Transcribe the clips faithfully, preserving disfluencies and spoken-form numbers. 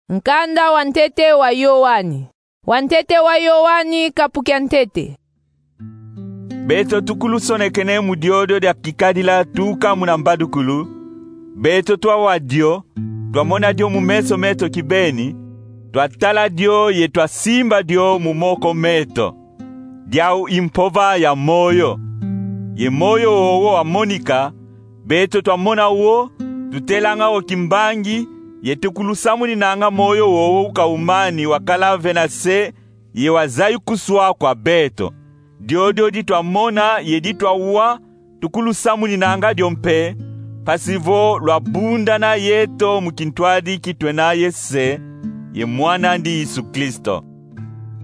Nkanda wa ntete wa Yoani. Wa ntete wa Yoani, kapu kia ntete. Beto tukulusonekene mu diodio dia kikadila tuka muna mbadukulu. Beto twawa dio, twamona dio mu meso meto kibeni, twatala dio ye twasimba dio mu moko meto. Diau i mpova ya moyo. Ye moyo wowo wamonika, beto twamona wo, tutelanga wo kimbangi, ye tukulusamuninanga moyo wowo ukaumani wakala ve na se, ye wazayukuswa kwa beto. Diodio di twamona ye di twawa, tukulusamuninanga dio mpe, mpasi vo lwabundana yeto mu kintwadi ki twena ye Se, ye Mwan'andi Yesu Kristo.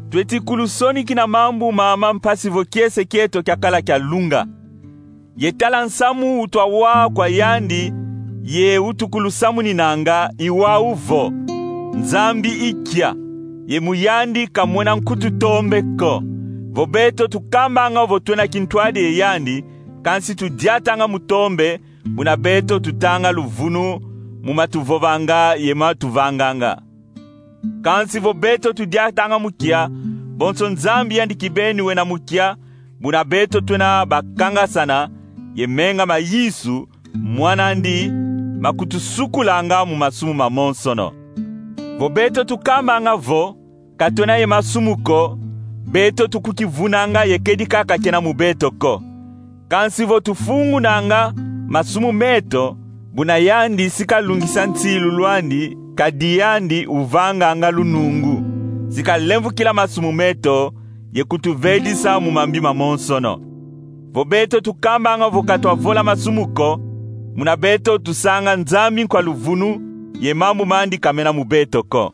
Tweti kulusonikina mambu mama mpasi vo kiese kieto kiakala kia lunga. Ye tala nsamu utwawa kwa yandi, ye utukulusamuninanga i wau vo: Nzambi i nkia, ye mu yandi kamwena nkutu tombe ko. Vo beto tukambanga vo twena kintwadi ye yandi, kansi tudiatanga mu tombe, buna beto tutanga luvunu mu matuvovanga ye matuvanganga. Kansi vo beto tudiatanga mu nkia, bonso Nzambi yandi kibeni wena mu nkia, buna beto twena bakangasana, ye menga ma Yesu, Mwan'andi, makutusukulanga mu masumu mamonsono. Vo beto tukambanga vo ka twena ye masumu ko, beto tukukivunanga ye kedi kaka kena mu beto ko. Kansi vo tufungunanga masumu meto, buna yandi si kalungisa nsilulu andi, kadi yandi uvanganga lunungu, si kalemvukila masumu meto, ye kutuvedisa mu mambi mamonsono. Vo beto tukambanga vo ka twavola masumu ko, muna beto tusanga Nzambi nkwa luvunu, ye mambu mandi ka mena mu beto ko.